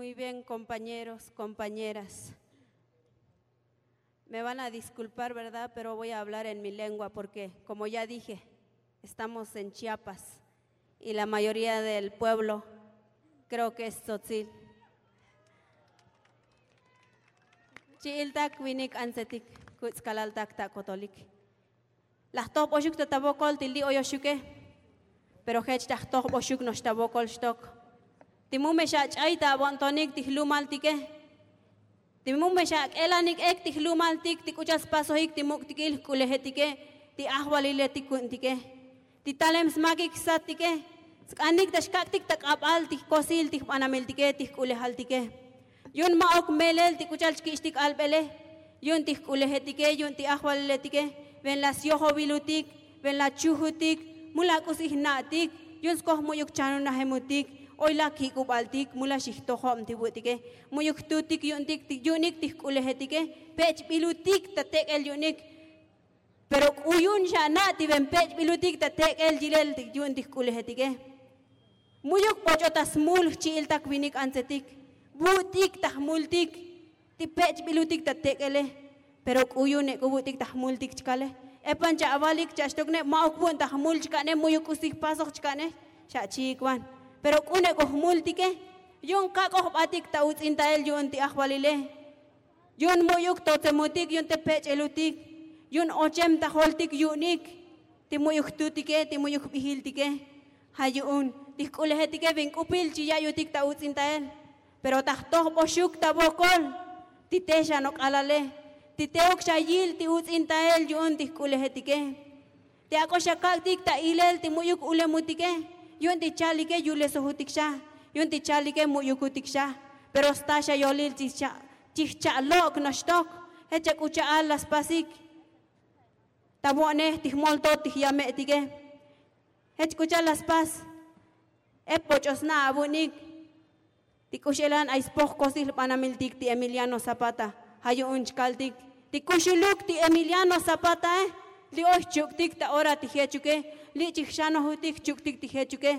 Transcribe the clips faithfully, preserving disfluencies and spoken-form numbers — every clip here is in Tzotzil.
Muy bien, compañeros, compañeras. Me van a disculpar, verdad, pero voy a hablar en mi lengua porque, como ya dije, estamos en Chiapas y la mayoría del pueblo creo que es tzotzil. Chi'iltak winik antzetik, kuts' kalaltak ta kotolik. Laj tojboxuk ta ta vokol ti li' oyoxuke. Pero jech ta jtojboxuk no'ox ta vokol xtok. Ti mu me xach'ay ta avo'ntonik ti jlumaltike. Ti mu me xak'elanik ek ti jlumaltik ti k'u cha'al spasojik ti muk'tikil jk'ulejetike, ti ajvaliletik ku'untike, ti talem smakik jsattike. Sk'anik ta xkak'tik ta k'abal ti jkosil ti jbanamiltike, ti jk'ulejaltike. Yu'un ma'uk melel ti k'u cha'al xkich'tik albele. Yu'un ti jk'ulejetike, yu'un ti ajvaliletike. Ven la syojovilutik, ven la chujutik, mu la k'usi jna'tik. Yu'un skoj mu'yuk chanunajemutik, oy la kik'ubaltik, mu la xijtojob ti vu'tike. Mu'yuk jtutik yu'unik ti jk'ulejetike. Pech'bilutik ta tek'el yu'unik. Pero k'u yu'un xana' ti ven pech'bilutik ta tek'el yilel yu'un ti jk'ulejetike. Mu'yuk boch'o ta smul jchi'iltak vinik antzetik. Vu'tik ta jmultik ti pech'bilutik ta tek'ele. Pero k'u yu'un ek'u vu'tik ta jmultik chkale. Epan cha'avalik cha'axtokne, ma'uk vu'un ta jmul chka'ne, mu'yuk k'usi jpasoj chka'ne. Xachi'ik van. Pero k'u nek'u jmultike. Yu'un kak'oj jbatik ta uts'intael yu'un ti ajvalile. Yu'un mu'yuk totsemutik, yu'un te pech'elutik, yu'un ochem ta joltik yu'unik ti mu'yuk jtutike, ti mu'yuk jbijiltike. Ja' yu'un ti jk'ulejetike ven k'upil chi ya'yutik ta uts'intael. Pero ta jtojboxuk ta vokol ti te xanok'alale, ti teuk xayil ti uts'intael yu'un ti jk'ulejetike. Ti ak'o xakak'tik ta ilel ti mu'yuk ulemutike, yu'un ti chalike yulesojutik xa, yu'un ti chalike mu'yukutik xa. Pero sta xa yolil chijcha' chijcha' lok' noxtok. Jech chak'u cha'al la spasik ta vo'nej ti jmoltot ti jyame'tike. Jech k'u cha'al la spas. Ep boch'o sna' avu'unik. Ti k'u x'elan ay spoj kosil jbanamiltik ti Emiliano Zapata. Ja' yu'un chkaltik ti kuxuluk ti Emiliano Zapatae, li' oy jchuk'tik ta ora ti jechuke, li' chijxanojutik jchuk'tik ti jechuke.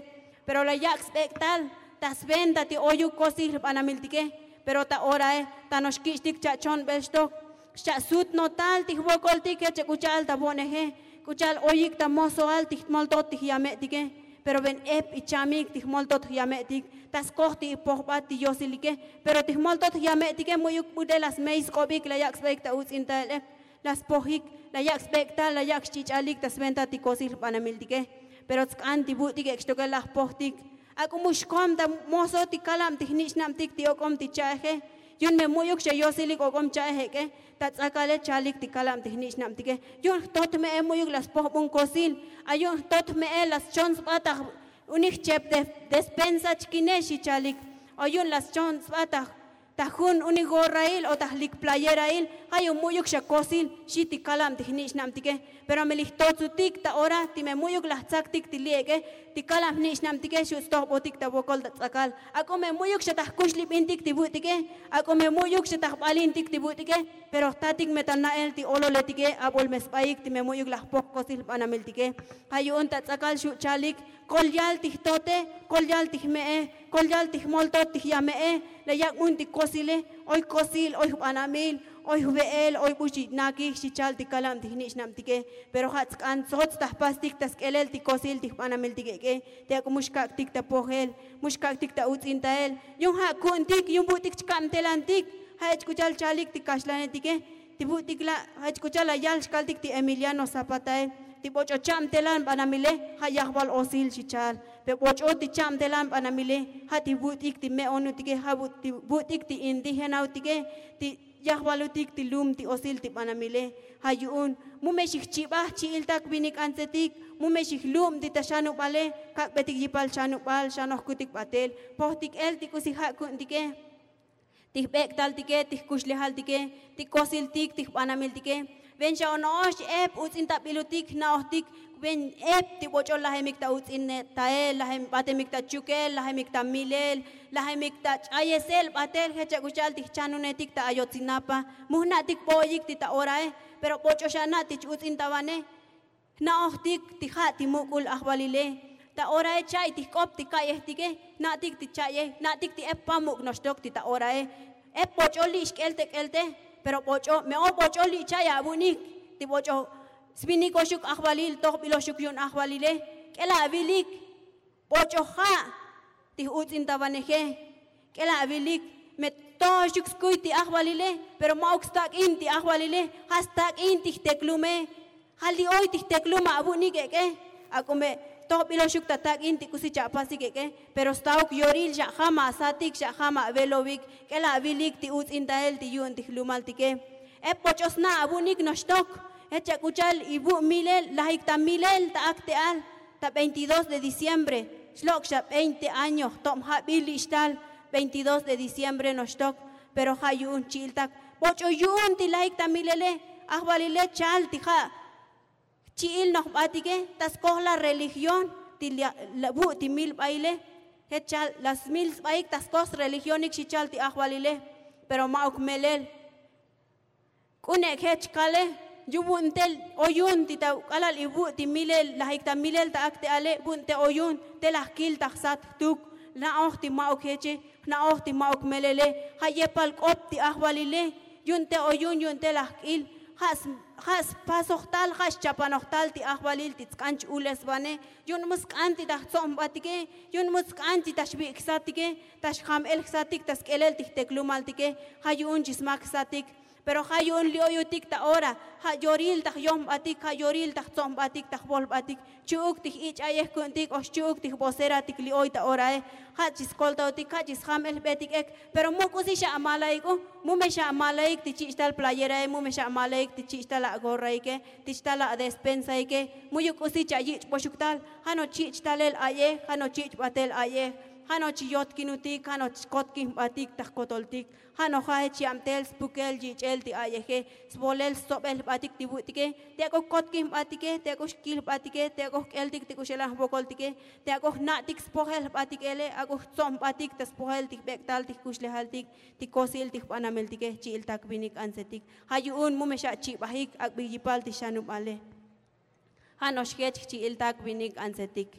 Pero la yak' sbek'tal ta sventa ti oyuk kosil jbanamiltike. Pero ta orae ta no'ox kich'tik cha'chonbel xtok, xcha'sut no'otal ti jvokoltik jech chak'u cha'al ta vo'neje, k'u cha'al oyik ta mosoal ti jmoltot ti jyame'tike. Pero ven ep ichamik ti jmoltot jyame'tik ta skoj ti ipojbat ti yosilike. Pero ti jmoltot jyame'tike mu'yuk bute la smey sk'obik, la yak' sbeyik ta uts'intaele. La spojik, la yak' sbek'tal, la yak' xch'ich'alik ta sventa ti kosil jbanamiltike. Pero tsk'an ti vu'tik ek' xtoke la jpojtik. Ak'o mu xkom ta moso ti kalab ti jnich'nabtik ti ok'om ti cha'eje. Yu'un me mu'yuk xa yosilik ok'om cha'ej ek'e. Ta ts'akale chalik ti kalab ti jnich'nabtike. Yu'un jtot me'e mu'yuk la spojbun kosil. A yu'un jtot me'e la schon sba ta unik jchep despensa chkine, xi chalik. O yu'un la schon sba ta jun unik gorrail o ta jlik playerail. Ja' yu'un mu'yuk xa kosil, xi ti kalab ti jnich'nabtike. Pero me li jtotsutik ta ora ti me mu'yuk la jtsaktik ti li' ek'e, ti kalab jnich'nabtike xu' stojbotik ta vokol ta ts'akal. Ak'o me mu'yuk xa ta jkuxlibintik ti vu'tike, ak'o me mu'yuk xa ta jbalintik ti vu'tike. Pero jtatik me ta na'el ti ololetike abol me sbaik ti me mu'yuk la jpoj kosil jbanamiltike. Ja' yu'un ta ts'akal xu' chalik, kol yal ti jtote, kol yal ti jme'e, kol yal ti jmoltot ti jyame'e. La yak' mun ti kosile. Oy kosil, oy jbanamil, oy jve'el, oy bu xinakik, xi chal ti kalab ti jnich'nabtike. Pero ja' tsk'an tsots ta jpastik ta sk'elel ti kosil ti jbanamiltik ek'e. Ti ak'o mu xkak'tik ta pojel, mu xkak'tik ta uts'intael. Yu'un ja' ku'untik, yu'un vu'tik chkabtelantik. Ja' jech k'u cha'al chalik ti kaxlanetike. Ti vu'tik la' jech k'u cha'al la yal xkaltik ti Emiliano Zapatae, ti boch'o chabtelan banamile ja' yajval osil, xi cha'al. Pe boch'o ti chabtelan banamile ja' ti vu'tik ti me'onutike, ja' ti vu'tik ti indigenautike, ti yajvalutik ti lum ti osil ti banamile. Ja' yu'un mu me xijchibaj jchi'iltak vinik antsetik, mu me xijlub ti ta xanubale, kak'betik yipal xanubal, xanojkutik batel, pojtik el ti k'usi ja' ku'untike. Ti jbek'taltike, ti jkuxlejaltike, ti kosiltik, ti jbanamiltike. Ven xa ono'ox ep uts'intabilutik jna'ojtik. Ven ep ti boch'o lajemik ta uts'intael, lajem batemik ta chukel, lajemik ta milel, lajemik ta ch'ayesel batel jech chak'u cha'al ti jchanunetik ta ayotsinapa. Mu jna'tik bo'oyik ti ta orae. Pero boch'o xana' ti ch-uts'intavane. Jna'ojtik ti ja' ti muk'ul ajvalile, Ta orae cha'i ti jk'op ti ka'yejtike, jna'tik ti cha'yej jna'tik ti ep pamuk' noxtok ti ta orae. Ep boch'o li' xk'el te k'el te, pero boch'o me'o boch'o li' cha'i avu'nik. Ti boch'o svinik oxuk ajvalil tojbil oxuk yu'un ajvalile. K'el avilik boch'o ja' ti j'uts'intavaneje. K'el avilik me toxuk skuy ti ajvalile, pero ma'uk stak'in ti ajvalile. Ja' stak'in ti jteklume. Ja' li' oy ti jteklum avu'nik ek'e. Ak'o me tojbil oxuk ta tak'in ti k'usi cha'pasik ek'e, pero stauk yoril xa'jam asatik xa'jam avelovik. K'el avilik ti uts'intael ti yu'un ti jlumaltike. Ep boch'o sna' avu'nik noxtok. Jech chak'uchal ivu' milel lajik ta milel ta akte'al ta veintidós de diciembre. Xlok' xa veinte año jtob jabil li' xtal veintidós de diciembre noxtok. Pero ja' yu'un chi'iltak boch'o yu'un ti lajik ta milele. Ajvalile chal ti ja' jchi'il noj jbatike ta skoj la religión ti la- la- vu' ti mil baile. Jech chal la smil sbaik ta skoj sreligionik xi chal ti ajvalile. Pero ma'uk melel. K'une' jech kale yu vu'un te oyun ti ta k'alal ivu' ti milel lajik ta milel ta akte'ale vu'un te oyun te laj kil ta jsat jtuk. Jna'oj ti ma'uk jeche jna'oj ti ma'uk melele. Ja' yepal k'op ti ajvalile. Yu'un te oyun yu'un te laj k'il. Ja' spasoj tal ja' xchapanoj tal ti ajvalil ti tsk'an ch-ulesvane. Yu'un mu sk'an ti ta jtsob jbatike. Yu'un mu sk'an ti ta xvi' jsatike ta xjam el jsatik ta sk'elel ti jteklumaltike. Ja' yu'un chi smak jsatik. Pero ja' yu'un li' oyutik ta ora ja' yoril ta jyom jbatik ja' yoril ta jtsob jbatik ta jvol jbatik. Chu'uk ti jich' a'yej ku'untik o xchu'uk ti jvoseratik li' oy ta orae. Ja' chi skoltaotik ja' chi sjam el jbetik ek. Pero mu k'usi xa'malaik u. Mu me xa'malaik ti chich' tal playerae mu me xa'malaik ti chich' tal agorraike ti chtal adespensaike. Mu'yuk k'usi chayich' boxuk tal. Ja' no'ox chich' talel a'yej ja' no'ox chich' batel a'yej. Ja' no'ox chi yotkinutik ja' no'ox chkotkin jbatik ta jkotoltik. Ja' no'ox ja' jech yabtel spukel yich'el ti a'yeje. Svolel stsobel jbatik ti vu'tike. Ti ak'o jkotkin jbatike ti ak'o xkil jbatike ti ak'o jk'eltik ti k'u xelan jvokoltike. Ti ak'o jna'tik spojel jbatik ele ak'o jtsob jbatik ta spojel ti jbek'tal ti jkuxlejaltik ti kosil ti jbanameltike. Chi'iltak vinik antsetik. Ja' yu'un mu me xachibajik ak'bi yipal ti xanubale. Ja' no'ox jech jchi'iltak vinik antsetik.